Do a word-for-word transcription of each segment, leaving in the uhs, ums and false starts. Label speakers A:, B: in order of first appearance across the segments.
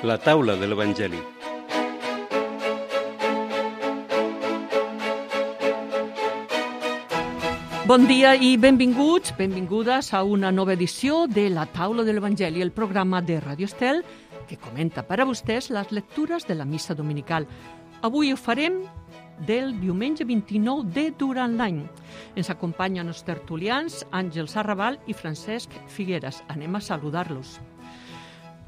A: La taula de l'Evangeli.
B: Bon dia i benvinguts, benvingudes a una nova edició de La taula de l'Evangeli, el programa de Radio Estel que comenta per a vostès les lectures de la missa dominical. Avui ho farem del diumenge vint-i-nou de durant l'any. Ens acompanyen els tertulians Àngels Arrabal i Francesc Figueres. Anem a saludar-los.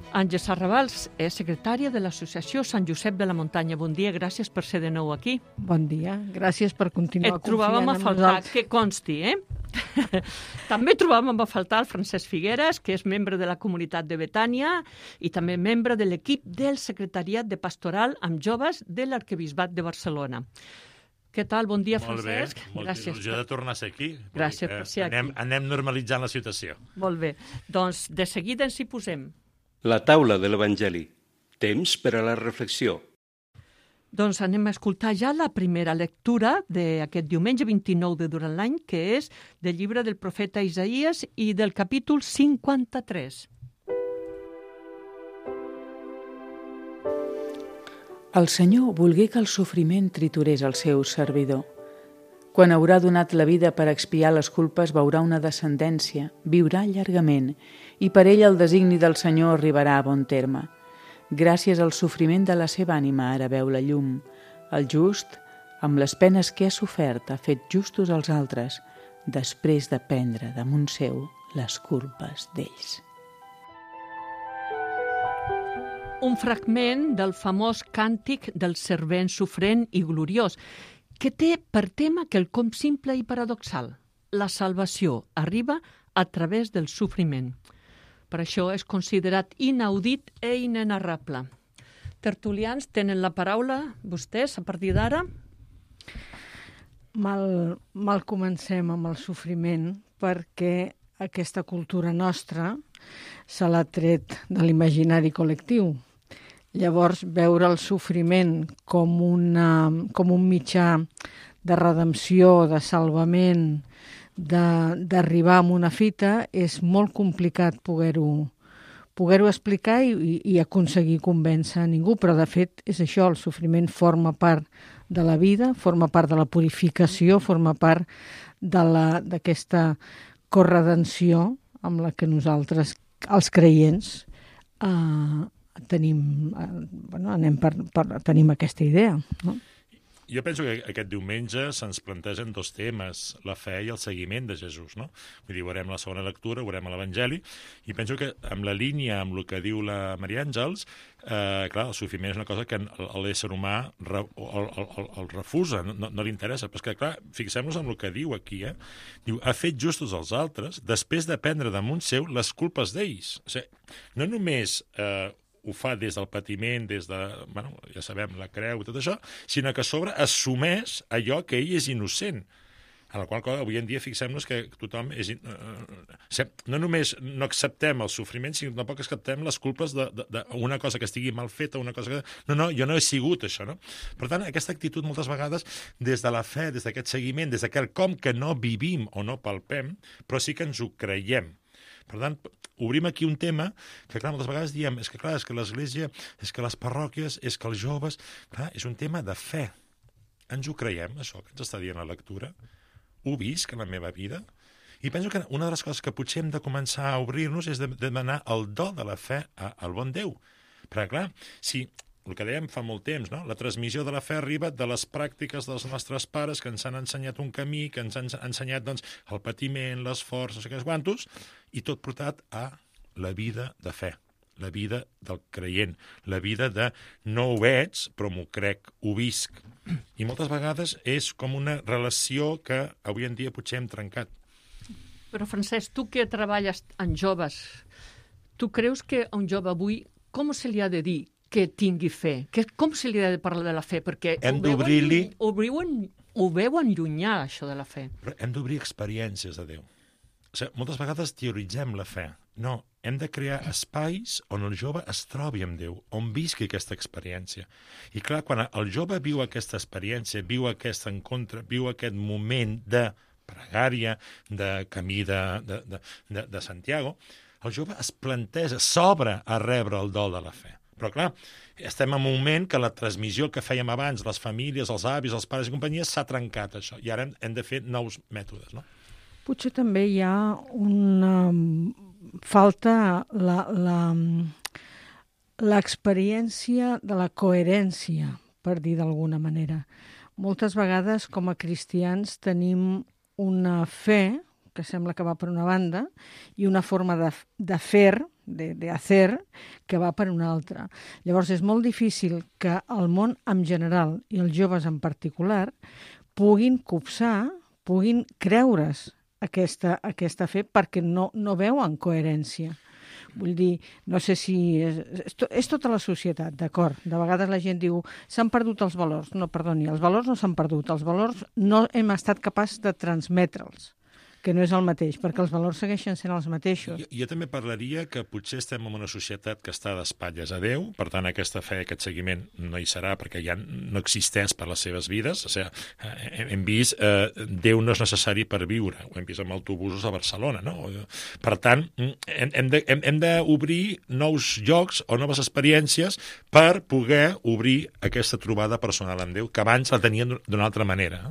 B: Àngels Arrabal és secretària de l'Associació Sant Josep de la Muntanya. Bon dia, gràcies per ser de nou aquí.
C: Bon dia, gràcies per continuar
B: Et trobàvem
C: confiant
B: a
C: en
B: faltar,
C: nosaltres.
B: que consti, eh? També trobàvem a faltar el Francesc Figueres, que és membre de la comunitat de Betània i també membre de l'equip del Secretariat de Pastoral amb Joves de l'Arquebisbat de Barcelona. Què tal? Bon dia,
D: Molt
B: Francesc.
D: bé, molt
B: Gràcies.
D: il·lusió de tornar a ser aquí.
B: Gràcies
D: Vull dir
B: per
D: que
B: ser aquí.
D: anem, anem normalitzant la situació.
B: Molt bé. Doncs de seguida ens hi posem.
A: La taula de l'Evangeli. Temps per a la reflexió.
B: Doncs anem a escoltar ja la primera lectura d'aquest diumenge vint-i-nou de durant l'any, que és del llibre del profeta Isaïes i del capítol cinquanta-tres.
E: El Senyor volgué que el sofriment triturés el seu servidor. Quan haurà donat la vida per expiar les culpes, veurà una descendència, viurà llargament, i per ell el designi del Senyor arribarà a bon terme. Gràcies al sofriment de la seva ànima ara veu la llum. El just, amb les penes que ha sofert, ha fet justos als altres, després de prendre damunt seu les culpes d'ells.
B: Un fragment del famós càntic del servent sofrent i gloriós, que té per tema quelcom simple i paradoxal. La salvació arriba a través del sofriment. Per això és considerat inaudit i inenarrable. Tertulians, tenen la paraula vostès a partir d'ara?
C: Mal, mal comencem amb el sofriment perquè aquesta cultura nostra se l'ha tret de l'imaginari col·lectiu. Llavors, veure el sofriment com, una, com un mitjà de redempció, de salvament, d'arribar a una fita, és molt complicat poder-ho poder-ho explicar i, i aconseguir convèncer a ningú, però de fet és això, el sofriment forma part de la vida, forma part de la purificació, forma part d'aquesta corredenció amb la que nosaltres, els creients, eh, tenim, eh, bueno, anem per, per, tenim aquesta idea, no?
D: Jo penso que aquest diumenge se'ns plantegen dos temes, la fe i el seguiment de Jesús, no? Vull dir, veurem la segona lectura, veurem l'Evangeli, i penso que amb la línia, amb el que diu la Maria Àngels, eh, clar, el sofriment és una cosa que l'ésser humà re, el, el, el refusa, no, no li interessa, però és que, clar, fixem-nos en el que diu aquí, eh? Diu, ha fet justos als altres després de prendre damunt seu les culpes d'ells. O sigui, no només eh, ho fa des del patiment, des de, bueno, ja sabem, la creu i tot això, sinó que a sobre assumeix allò que ell és innocent. En la qual cosa, avui en dia, fixem-nos que tothom és... Eh, no només no acceptem el sofriment, sinó que tampoc acceptem les culpes d'una cosa que estigui mal feta, una cosa que... No, no, jo no he sigut això, no? Per tant, aquesta actitud moltes vegades, des de la fe, des d'aquest seguiment, des d'aquest com que no vivim o no palpem, però sí que ens ho creiem. Per tant, obrim aquí un tema que, clar, moltes vegades diem, és que, clar, és que l'Església, és que les parròquies, és que els joves... Clar, és un tema de fe. Ens ho creiem, això que ens està dient la lectura? Ho visc en la meva vida? I penso que una de les coses que potser hem de començar a obrir-nos és de demanar el do de la fe al bon Déu. Perquè, clar, si... El que dèiem fa molt temps, no? La transmissió de la fe arriba de les pràctiques dels nostres pares que ens han ensenyat un camí, que ens han ensenyat doncs, el patiment, l'esforç, no sé què quantos, i tot portat a la vida de fe, la vida del creient, la vida de no ho veig, però m'ho crec, ho visc. I moltes vegades és com una relació que avui en dia potser hem trencat.
B: Però, Francesc, tu que treballes en joves, tu creus que a un jove avui, com se li ha de dir que tingui fe? Que, com se li ha de parlar de la fe? Perquè
D: hem
B: ho
D: d'obrir-li...
B: Ho veuen, ho veuen llunyà, això de la fe.
D: Però hem d'obrir experiències de Déu. O sigui, moltes vegades teoritzem la fe. No, hem de crear espais on el jove es trobi amb Déu, on visqui aquesta experiència. I clar, quan el jove viu aquesta experiència, viu aquest encontre, viu aquest moment de pregària, de camí de, de, de, de, de Santiago, el jove es planteja, s'obre a rebre el dol de la fe. Però, clar, estem en un moment que la transmissió que fèiem abans, les famílies, els avis, els pares i companyia, s'ha trencat, això. I ara hem, hem de fer nous mètodes, no?
C: Potser també hi ha una falta la, la, l'experiència de la coherència, per dir d'alguna manera. Moltes vegades, com a cristians, tenim una fe que sembla que va per una banda i una forma de, de fer, de, de hacer, que va per una altra. Llavors, és molt difícil que el món en general i els joves en particular puguin copsar, puguin creure's aquesta, aquesta fe perquè no, no veuen coherència. Vull dir, no sé si... És, és, és tota la societat, d'acord? De vegades la gent diu, s'han perdut els valors. No, perdoni, els valors no s'han perdut. Els valors no hem estat capaços de transmetre'ls, que no és el mateix, perquè els valors segueixen sent els mateixos.
D: Jo, jo també parlaria que potser estem en una societat que està d'espatlles a Déu, per tant, aquesta fe, aquest seguiment no hi serà perquè ja no existeix per les seves vides. O sigui, hem vist, eh, Déu no és necessari per viure. Ho hem vist amb autobusos a Barcelona, no? Per tant, hem, hem de, hem, hem d'obrir nous llocs o noves experiències per poder obrir aquesta trobada personal amb Déu, que abans la tenien d'una altra manera.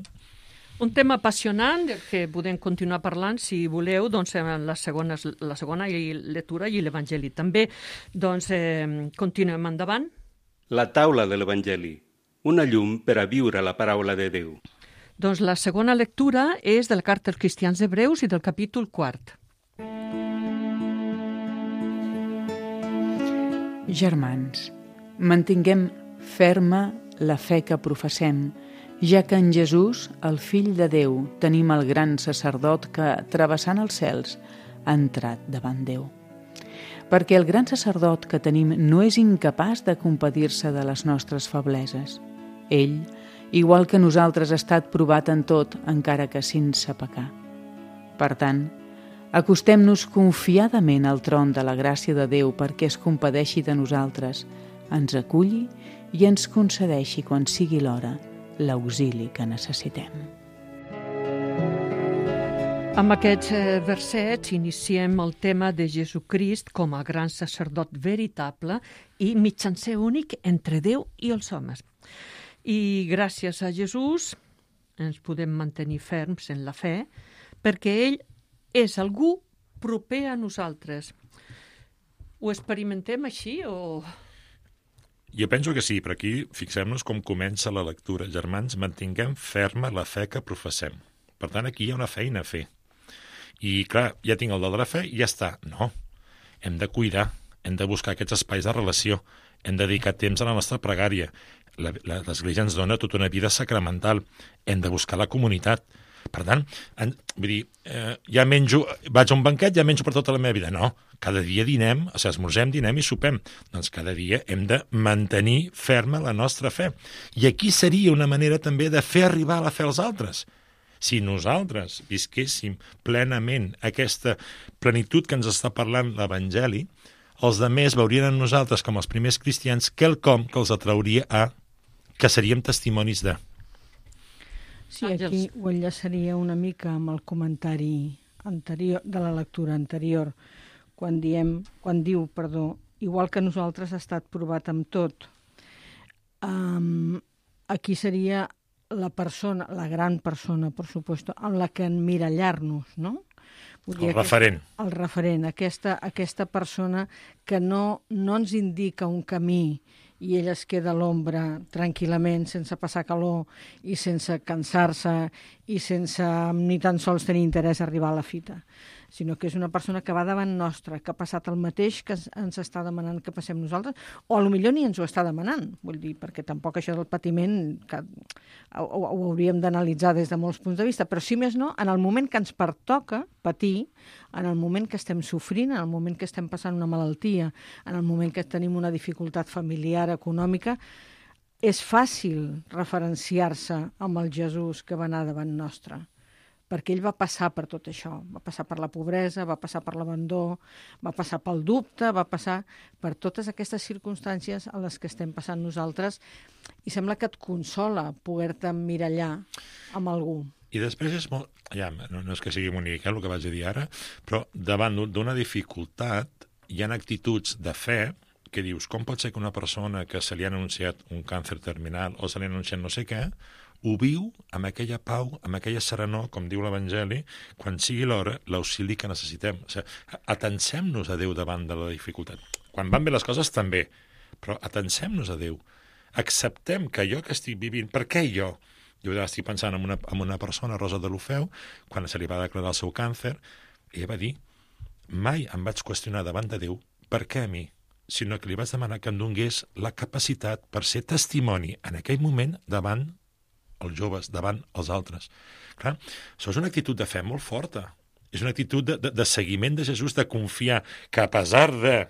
B: Un tema apassionant que podem continuar parlant, si voleu, doncs, en la segona, la segona lectura i l'Evangeli. També doncs, eh, continuem endavant.
A: La taula de l'Evangeli, una llum per a viure la paraula de Déu.
B: Doncs la segona lectura és de la Carta als Cristians Hebreus i del capítol quart.
E: Germans, mantinguem ferma la fe que professem, ja que en Jesús, el Fill de Déu, tenim el gran sacerdot que, travessant els cels, ha entrat davant Déu. Perquè el gran sacerdot que tenim no és incapaç de compadir-se de les nostres febleses. Ell, igual que nosaltres, ha estat provat en tot, encara que sense pecar. Per tant, acostem-nos confiadament al tron de la gràcia de Déu perquè es compadeixi de nosaltres, ens aculli i ens concedeixi, quan sigui l'hora, l'auxili que necessitem.
B: Amb aquests versets iniciem el tema de Jesucrist com a gran sacerdot veritable i mitjancer únic entre Déu i els homes. I gràcies a Jesús ens podem mantenir ferms en la fe perquè ell és algú proper a nosaltres. Ho experimentem així o...
D: Jo penso que sí, però aquí fixem-nos com comença la lectura. Germans, mantinguem ferma la fe que professem. Per tant, aquí hi ha una feina a fer. I, clar, ja tinc el do de la fe i ja està. No, hem de cuidar, hem de buscar aquests espais de relació, hem de dedicar temps a la nostra pregària. L'Església ens dona tota una vida sacramental. Hem de buscar la comunitat. Per tant, en, vull dir, eh, ja menjo, vaig a un banquet, ja menjo per tota la meva vida. No, cada dia dinem, o sigui, esmorzem, dinem i sopem. Doncs cada dia hem de mantenir ferma la nostra fe. I aquí seria una manera també de fer arribar la fe als altres. Si nosaltres visquéssim plenament aquesta plenitud que ens està parlant l'Evangeli, els demés veurien en nosaltres, com els primers cristians, quelcom que els atrauria a que seríem testimonis de...
C: Sí, aquí ho enllaçaria una mica amb el comentari anterior, de la lectura anterior, quan, diem, quan diu, perdó, igual que nosaltres ha estat provat amb tot. Um, aquí seria la persona, la gran persona, per supuesto, amb la que emmirallar-nos, no? Vull dir,
D: el referent.
C: Aquesta, el referent, aquesta, aquesta persona que no, no ens indica un camí i ell es queda a l'ombra tranquil·lament, sense passar calor i sense cansar-se i sense ni tan sols tenir interès a arribar a la fita, sinó que és una persona que va davant nostra, que ha passat el mateix que ens està demanant que passem nosaltres, o potser ni ens ho està demanant, vull dir, perquè tampoc això del patiment que ho, ho hauríem d'analitzar des de molts punts de vista, però si més no, en el moment que ens pertoca patir, en el moment que estem sofrint, en el moment que estem passant una malaltia, en el moment que tenim una dificultat familiar, econòmica, és fàcil referenciar-se amb el Jesús que va anar davant nostre, perquè ell va passar per tot això, va passar per la pobresa, va passar per l'abandó, va passar pel dubte, va passar per totes aquestes circumstàncies a les que estem passant nosaltres, i sembla que et consola poder-te emmirallar amb algú.
D: I després és molt... Ja, no, no és que sigui bonic, eh, el que vaig dir ara, però davant d'una dificultat hi ha actituds de fe que dius, com pot ser que una persona que se li ha anunciat un càncer terminal o se li ha anunciat no sé què, ho viu amb aquella pau, amb aquella serenor, com diu l'Evangeli, quan sigui l'hora, l'auxili que necessitem. O sigui, atencem-nos a Déu davant de la dificultat. Quan van bé les coses, també, però atencem-nos a Déu. Acceptem que jo que estic vivint, per què jo? Jo estic pensant en una, en una persona, Rosa de l'Ofeu, quan se li va declarar el seu càncer, ella va dir, mai em vaig qüestionar davant de Déu per què a mi, sinó que li vaig demanar que em donés la capacitat per ser testimoni en aquell moment davant els joves, davant els altres. Clar, això és una actitud de fe molt forta. És una actitud de, de, de seguiment de Jesús, de confiar que a pesar de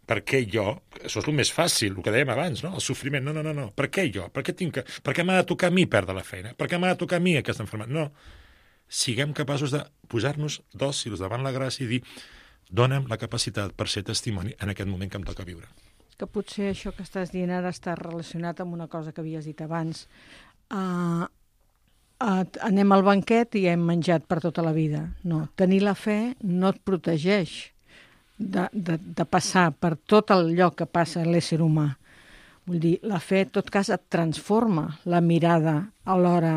D: per què jo, això és el més fàcil, el que dèiem abans, no? El sofriment, no, no, no, no, per què jo? Per què, tinc que, per què m'ha de tocar a mi perdre la feina? Per què m'ha de tocar a mi aquesta malaltia? No, siguem capaços de posar-nos dòcils davant la gràcia i dir dona'm la capacitat per ser testimoni en aquest moment que em toca viure.
C: Que potser això que estàs dient ara està relacionat amb una cosa que havies dit abans. Uh, uh, anem al banquet i hem menjat per tota la vida. No, tenir la fe no et protegeix de, de, de passar per tot el lloc que passa l'ésser humà. Vull dir, la fe, en tot cas, et transforma la mirada a l'hora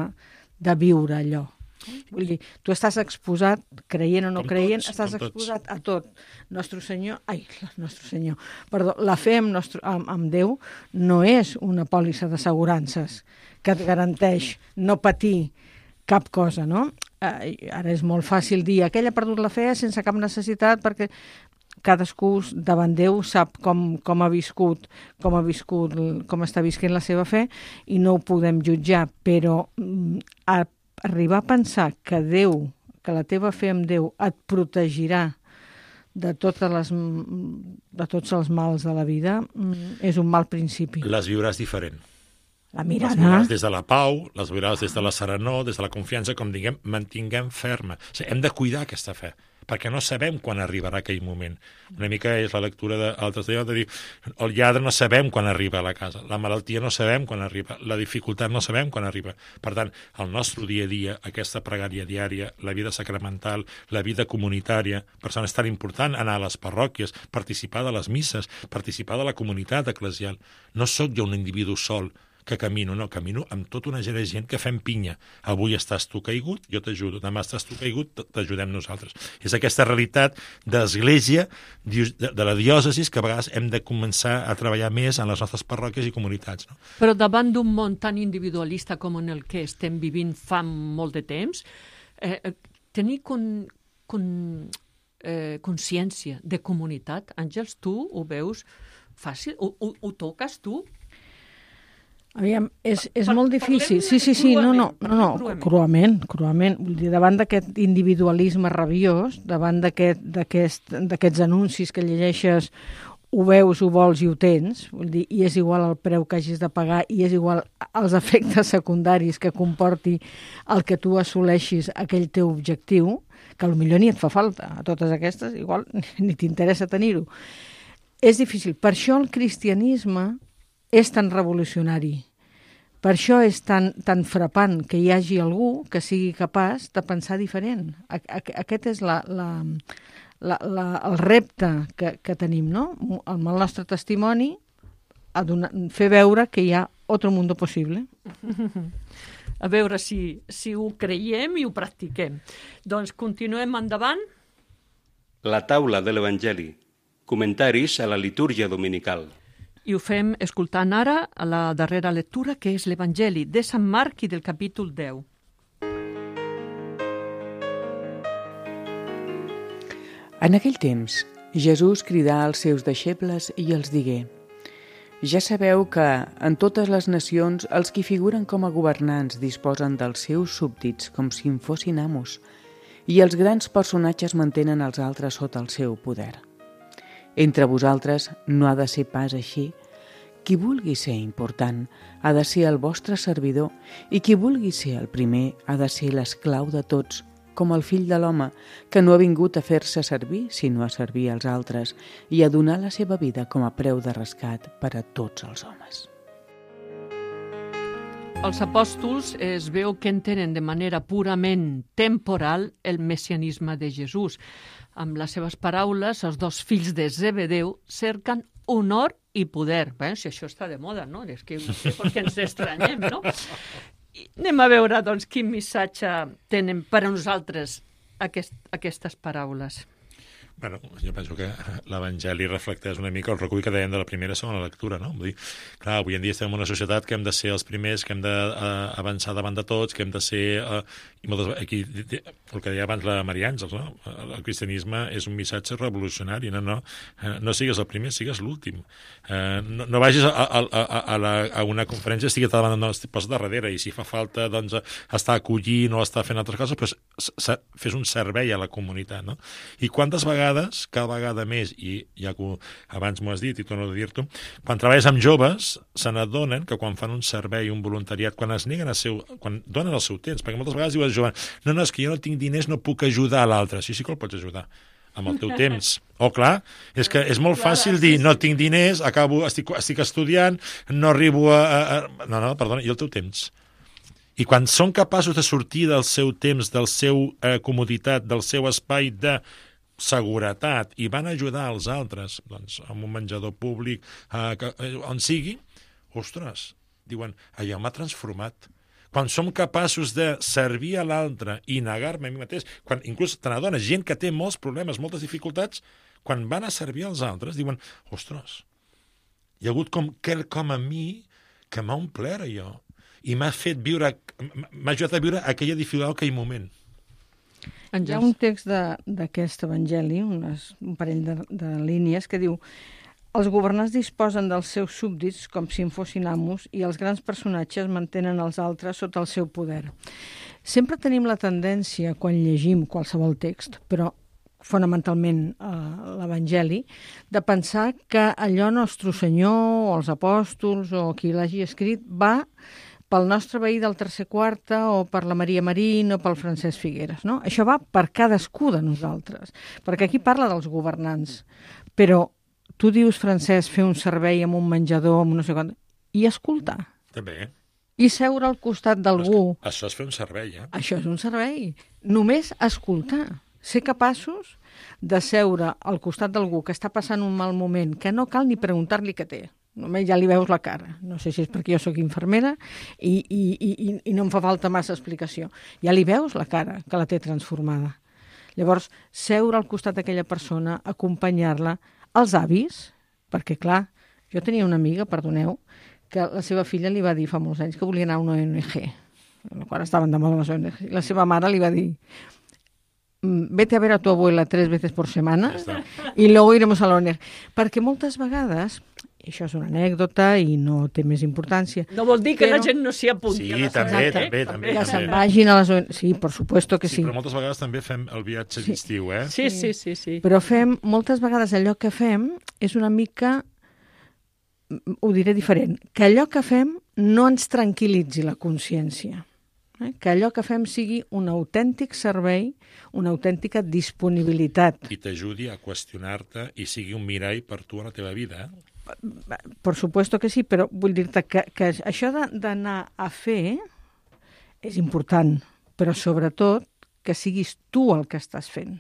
C: de viure allò. Vull dir, tu estàs exposat, creient o no
D: com
C: creient,
D: tots,
C: estàs
D: com
C: exposat tots. a tot. Nostre Senyor, ai, Nostre Senyor, perdó, la fe amb, nostre, amb, amb Déu no és una pòlissa d'assegurances que et garanteix no patir cap cosa, no? Eh, ara és molt fàcil dir, aquell ha perdut la fe sense cap necessitat perquè cadascú davant Déu sap com, com ha viscut, com ha viscut, com està visquent la seva fe i no ho podem jutjar, però a arribar a pensar que Déu, que la teva fe en Déu et protegirà de, totes les, de tots els mals de la vida, és un mal principi.
D: Les viuràs diferent.
C: La mirada.
D: Les viuràs des de la pau, les viuràs des de la serenor, des de la confiança, com diguem, mantinguem ferma. O sigui, hem de cuidar aquesta fe, perquè no sabem quan arribarà aquell moment. Una mica és la lectura d'altres dies, de dir, el lladre no sabem quan arriba a la casa, la malaltia no sabem quan arriba, la dificultat no sabem quan arriba. Per tant, el nostre dia a dia, aquesta pregària diària, la vida sacramental, la vida comunitària, per això és tan important anar a les parròquies, participar de les misses, participar de la comunitat eclesial. No sóc jo un individu sol que camino, no, camino amb tota una gent de gent que fem pinya. Avui estàs tu caigut, jo t'ajudo. Demà estàs tu caigut, t'ajudem nosaltres. És aquesta realitat d'església, de la diòcesis, que a vegades hem de començar a treballar més en les nostres parròquies i comunitats. No?
B: Però davant d'un món tan individualista com en el que estem vivint fa molt de temps, eh, tenir con, con, eh, consciència de comunitat, Àngels, tu ho veus fàcil? Ho, ho, ho toques tu?
C: Aviam, és, és molt difícil. Sí, sí, sí, no, no, no, no, cruament, cruament. Vull dir, davant d'aquest individualisme rabiós, davant d'aquests aquest, aquest, anuncis que llegeixes, ho veus, ho vols i ho tens, vull dir, i és igual el preu que hagis de pagar i és igual els efectes secundaris que comporti el que tu assoleixis aquell teu objectiu, que potser ni et fa falta. A totes aquestes, igual, ni t'interessa tenir-ho. És difícil. Per això el cristianisme és tan revolucionari. Per això és tan, tan frapant que hi hagi algú que sigui capaç de pensar diferent. Aquest és la, la, la, la, el repte que, que tenim, no? Amb el nostre testimoni, a donar, fer veure que hi ha otro mundo possible.
B: A veure si, si ho creiem i ho practiquem. Doncs continuem endavant.
A: La taula de l'Evangeli. Comentaris a la litúrgia dominical.
B: I ho fem escoltant ara a la darrera lectura, que és l'Evangeli de Sant Marc i del capítol deu.
E: En aquell temps, Jesús cridà als seus deixebles i els digué: Ja sabeu que, en totes les nacions, els qui figuren com a governants disposen dels seus súbdits com si en fossin amos, i els grans personatges mantenen els altres sota el seu poder. Entre vosaltres no ha de ser pas així. Qui vulgui ser important ha de ser el vostre servidor i qui vulgui ser el primer ha de ser l'esclau de tots, com el fill de l'home, que no ha vingut a fer-se servir, sinó a servir als altres i a donar la seva vida com a preu de rescat per a tots els homes.
B: Els apòstols es veu que entenen de manera purament temporal el messianisme de Jesús. Amb les seves paraules, els dos fills de Zebedeu cerquen honor i poder. Bé, si això està de moda, no? És que no sé per què ens estranyem, no? I anem a veure, doncs, quin missatge tenen per a nosaltres aquest, aquestes paraules.
D: Bueno, jo penso que l'Evangeli reflecteix una mica el recull que dèiem de la primera i segona lectura, no? Vull dir, clar, avui en dia estem en una societat que hem de ser els primers, que hem d'avançar davant de tots, que hem de ser... Uh, i moltes, aquí, el que deia abans la Maria Àngels, no? El cristianisme és un missatge revolucionari, no, no, no sigues el primer, sigues l'últim. Uh, no, no vagis a, a, a, a, la, a una conferència, estigui davant, no, posa darrere, i si fa falta, doncs, estar acollint o estar fent altres coses, doncs fes un servei a la comunitat, no? I quantes vegades, cada vegada més, i ja que abans m'ho has dit i torno a dir-t'ho, quan treballes amb joves, se n'adonen que quan fan un servei, un voluntariat, quan es neguen a seu, quan donen el seu temps, perquè moltes vegades diuen jove, no, no, és que jo no tinc diners, no puc ajudar a l'altre. Sí, sí que el pots ajudar, amb el teu temps. Oh, clar, és que és molt fàcil dir, no tinc diners, acabo, estic, estic estudiant, no arribo a, a... No, no, perdona, i el teu temps? I quan són capaços de sortir del seu temps, del seu eh, comoditat, del seu espai de seguretat i van ajudar als altres, doncs, amb un menjador públic, eh, que, eh, on sigui, ostres, diuen, allò m'ha transformat. Quan som capaços de servir a l'altre i negar-me a mi mateix, quan inclús te n'adones, gent que té molts problemes, moltes dificultats, quan van a servir als altres, diuen, ostres, hi ha hagut com quelcom a mi que m'ha omplert allò i m'ha fet viure, m'ha ajudat a viure aquella dificultat, aquell moment.
C: Hi ha un text d'aquest evangeli, unes, un parell de, de línies, que diu: els governants disposen dels seus súbdits com si en fossin amos i els grans personatges mantenen els altres sota el seu poder. Sempre tenim la tendència, quan llegim qualsevol text, però fonamentalment eh, l'Evangeli, de pensar que allò Nostre Senyor o els apòstols o qui l'hagi escrit va pel nostre veí del tercer quarta o per la Maria Marín o pel Francesc Figueres, no? Això va per cadascú de nosaltres, perquè aquí parla dels governants, però tu dius, Francesc, fer un servei amb un menjador, amb no sé quant, i escoltar.
D: També.
C: I seure al costat d'algú.
D: Això és fer un servei, eh?
C: Això és un servei. Només escoltar. Ser capaços de seure al costat d'algú que està passant un mal moment, que no cal ni preguntar-li què té. Només ja li veus la cara. No sé si és perquè jo sóc infermera i, i, i, i no em fa falta massa explicació. Ja li veus la cara, que la té transformada. Llavors, seure al costat d'aquella persona, acompanyar-la, els avis, perquè, clar, jo tenia una amiga, perdoneu, que la seva filla li va dir fa molts anys que volia anar a una O N G, quan estaven de moda les O N G. La seva mare li va dir: vete a ver a tu abuela tres veces por semana y luego iremos a la O N G. Perquè moltes vegades, i això és una anècdota i no té més importància...
B: No vol dir que
C: però...
B: la gent no s'hi apunti.
D: Sí, també, també, també.
C: Ja se'n vagin a les O N G. Sí, per supuesto que sí.
D: Sí, però moltes vegades també fem el viatge
C: Sí.
D: d'estiu, eh?
B: Sí, sí, sí, sí.
C: Però fem, moltes vegades allò que fem és una mica, ho diré diferent, que allò que fem no ens tranquil·litzi la consciència. Eh? Que allò que fem sigui un autèntic servei, una autèntica disponibilitat.
D: I t'ajudi a qüestionar-te i sigui un mirall per tu a la teva vida, eh?
C: Per supuesto que sí, però vull dir-te que, que això d'anar a fer és important, però sobretot que siguis tu el que estàs fent.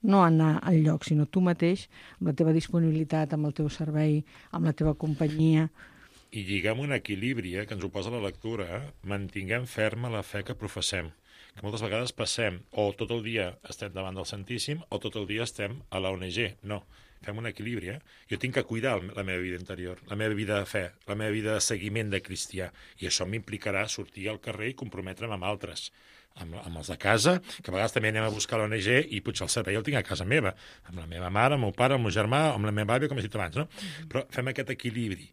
C: No anar al lloc, sinó tu mateix, amb la teva disponibilitat, amb el teu servei, amb la teva companyia.
D: I lliguem un equilibri, eh, que ens ho posa la lectura, eh? Mantinguem ferma la fe que professem, que moltes vegades passem, o tot el dia estem davant del Santíssim, o tot el dia estem a la O N G. No, fem un equilibri, eh? Jo tinc que cuidar la meva vida interior, la meva vida de fe, la meva vida de seguiment de cristià, i això m'implicarà sortir al carrer i comprometre'm amb altres, amb, amb els de casa, que a vegades també anem a buscar l'O N G i potser el servei el tinc a casa meva, amb la meva mare, amb el meu pare, amb el meu germà, amb la meva àvia, com he dit abans, no? Però fem aquest equilibri.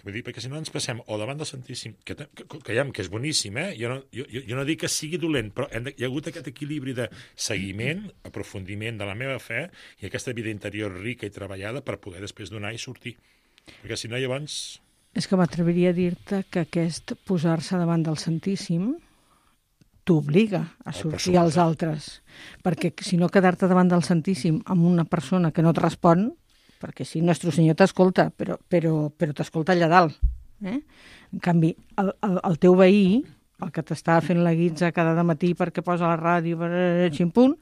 D: Vull dir, perquè si no ens passem o davant del Santíssim, que, que, que, que és boníssim, eh? Jo no, jo, jo no dic que sigui dolent, però hem de, hi ha hagut aquest equilibri de seguiment, aprofundiment de la meva fe i aquesta vida interior rica i treballada per poder després donar i sortir. Perquè si no, llavors...
C: És que m'atreviria a dir-te que aquest posar-se davant del Santíssim t'obliga a sortir als altres. Perquè si no, quedar-te davant del Santíssim amb una persona que no et respon, perquè si Nostre Senyor t'escolta, però, però, però t'escolta allà dalt. Eh? En canvi, el, el, el teu veí, el que t'està fent la guitza cada matí perquè posa la ràdio, ximpunt,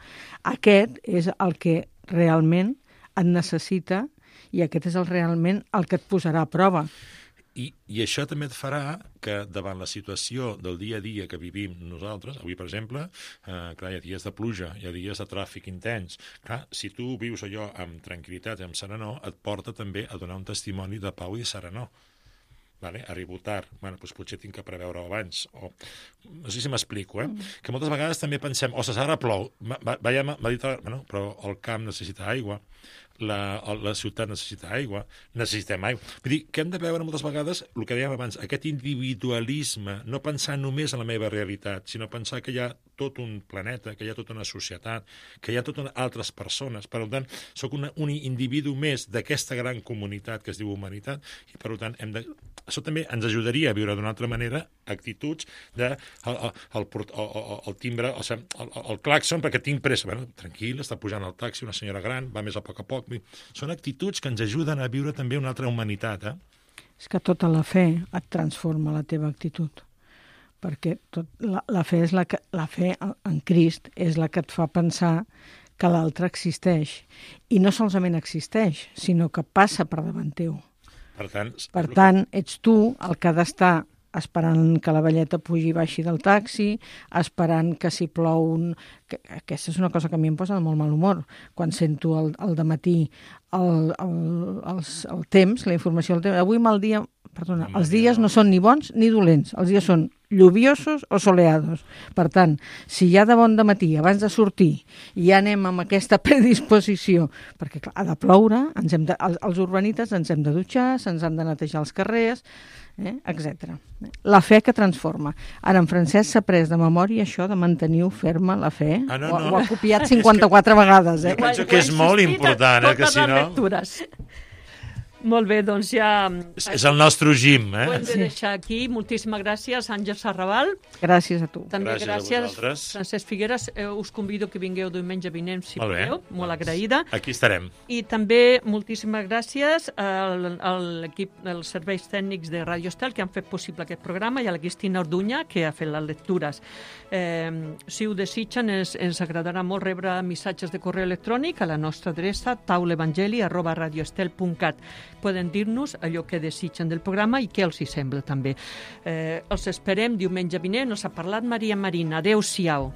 C: aquest és el que realment et necessita I aquest és el, realment el que et posarà a prova.
D: I, I això també et farà que davant la situació del dia a dia que vivim nosaltres, avui, per exemple, eh, clar, hi ha dies de pluja, hi ha dies de tràfic intens. Clar, si tu vius allò amb tranquil·litat i amb serenor, et porta també a donar un testimoni de pau i de serenor. Vale? Arribo tard, bueno, doncs potser tinc que preveure-ho abans. O, no sé si m'explico, eh? Mm. Que moltes vegades també pensem, ostres, ara plou, veiem, m'ha dit, bueno, però el camp necessita aigua, la, la ciutat necessita aigua, necessitem aigua. Vull dir, que hem de veure moltes vegades el que dèiem abans, aquest individualisme, no pensar només en la meva realitat, sinó pensar que hi ha tot un planeta, que hi ha tota una societat, que hi ha totes altres persones. Per tant, sóc una, un individu més d'aquesta gran comunitat que es diu humanitat i, per tant, hem de... això també ens ajudaria a viure d'una altra manera actituds de el, el, el, el, el timbre, o sigui, el, el clàxon, perquè tinc pressa. Bueno, tranquil, està pujant el taxi, una senyora gran, va més a poc a poc. Són actituds que ens ajuden a viure també una altra humanitat. Eh?
C: És que tota la fe et transforma la teva actitud, perquè tot, la, la, fe és la, que, la fe en Crist és la que et fa pensar que l'altre existeix. I no solament existeix, sinó que passa per davant teu.
D: Per tant,
C: per tant, ets tu el que ha d'estar esperant que la velleta pugi i baixi del taxi, esperant que si plou... Un... Que, aquesta és una cosa que a mi em posa de molt mal humor. Quan sento al, al dematí el, el, el, el temps, la informació del temps... Avui mal dia... Perdona, els dies no són ni bons ni dolents. Els dies són lluviosos o soleados. Per tant, si ja de bon dematí, abans de sortir, ja anem amb aquesta predisposició, perquè clar, ha de ploure, ens hem de, els, els urbanites ens hem de dutxar, se'ns han de netejar els carrers, eh, etcètera. La fe que transforma. Ara, en Francesc s'ha pres de memòria això de mantenir ferma la fe.
D: Ah, no,
C: ho,
D: no.
C: ho ha copiat cinquanta-quatre que... vegades. Eh?
D: Jo penso que és molt important, eh, que si no...
B: Lectures. Molt bé, doncs ja...
D: És el nostre gym, eh?
B: Ho hem de deixar aquí. Moltíssimes gràcies, Àngels Arrabal.
C: Gràcies a tu.
B: També
D: gràcies,
B: gràcies,
D: gràcies
B: Francesc Figueres. Eh, us convido que vingueu diumenge vinent, si
D: molt
B: podeu. Molt doncs, agraïda.
D: Aquí estarem.
B: I també moltíssimes gràcies al, a l'equip dels serveis tècnics de Radio Estel que han fet possible aquest programa i a la Cristina Orduña, que ha fet les lectures. Eh, si ho desitgen, ens, ens agradarà molt rebre missatges de correu electrònic a la nostra adreça taulevangeli arroba radioestel punt cat. Poden dir-nos allò que desitgen del programa i què els hi sembla també. Eh, els esperem diumenge vinent. Us ha parlat Maria Marina. Adéu-siau.